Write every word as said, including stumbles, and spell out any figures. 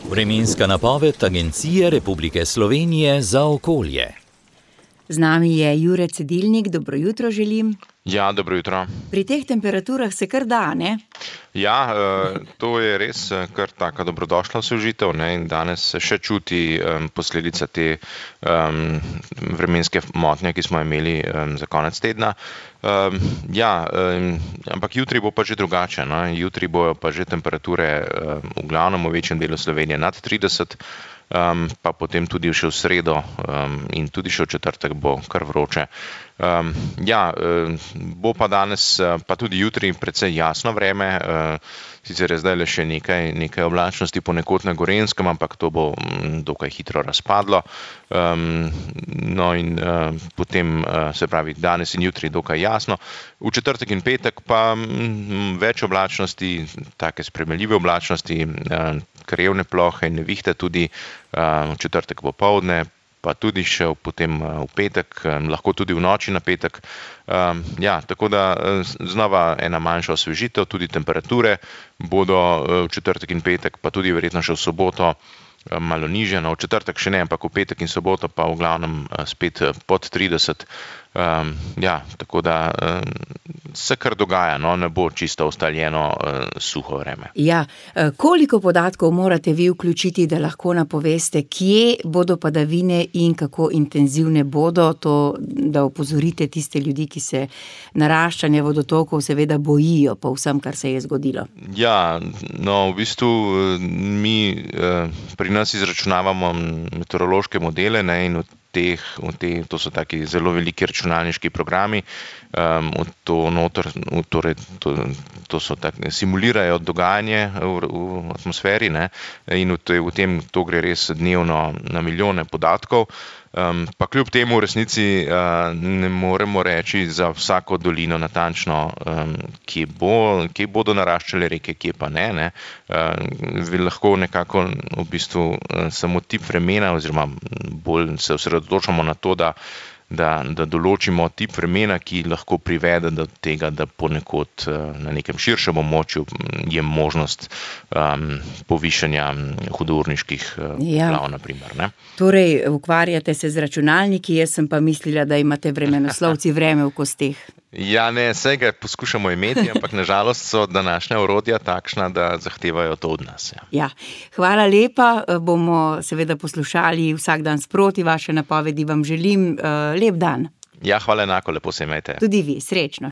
Vremenska napoved Agencije Republike Slovenije za okolje. Z nami je Jure Cedilnik, dobro jutro želim. Ja, dobro jutro. Pri teh temperaturah se kar da, ne? Ja, to je res kar taka dobrodošla osvežitev, ne, in danes se še čuti posledica te um, vremenske motnje, ki smo imeli um, za konec tedna. Um, ja, um, ampak jutri bo pa že drugače, no? Jutri bojo pa že temperature um, v glavnem v večjem delu Slovenije nad trideset, um, pa potem tudi še v sredo um, in tudi še v četrtek bo kar vroče. Um, ja, um, bo pa danes, pa tudi jutri precej jasno vreme, uh, sicer je zdaj le še nekaj, nekaj oblačnosti ponekod na Gorenjskem, ampak to bo um, dokaj hitro razpadlo. Um, no in uh, potem, uh, se pravi, danes in jutri dokaj jasno. V četrtek in petek pa um, več oblačnosti, take sprejemljive oblačnosti, uh, krajevne plohe in nevihte tudi uh, v četrtek popoldne, pa tudi še potem v petek, lahko tudi v noči na petek. Ja, tako da znova ena manjša osvežitev, tudi temperature bodo v četrtek in petek, pa tudi verjetno še v soboto malo nižje. No, v četrtek še ne, ampak v petek in soboto pa v glavnem spet pod trideset. Ja, tako da se kar dogaja, no, ne bo čisto ustaljeno suho vreme. Ja, koliko podatkov morate vi vključiti, da lahko napoveste, kje bodo padavine in kako intenzivne bodo, to, da opozorite tiste ljudi, ki se naraščanja vodotokov seveda bojijo po vsem, kar se je zgodilo? Ja, no, v bistvu mi pri nas izračunavamo meteorološke modele, ne, in v teh, v te, to so taki zelo veliki računalniški programi, um, to, notor, torej, to, to so tak, simulirajo dogajanje v, v atmosferi, ne, in v, v tem to gre res dnevno na milijone podatkov. Um, pa kljub temu v resnici uh, ne moremo reči za vsako dolino natančno, um, kje, bo, kje bodo naraščale reke, kje pa ne. ne. Uh, lahko nekako v bistvu uh, samo tip vremena oziroma bolj se osredotočamo na to, da Da, da določimo tip vremena, ki lahko privede do tega, da ponekod na nekem širšem območju je možnost um, povišanja hudourniških ja. poplav, na primer, ne. Torej, ukvarjate se z računalniki, jaz sem pa mislila, da imate vremenoslovci vreme v kosteh. Ja, ne, saj ga poskušamo imeti, ampak nažalost so današnja orodja takšna, da zahtevajo to od nas. Ja. Ja, hvala lepa, bomo seveda poslušali vsak dan sproti vaše napovedi, vam želim uh, lep dan. Ja, hvala enako, lepo se imejte. Tudi vi, srečno.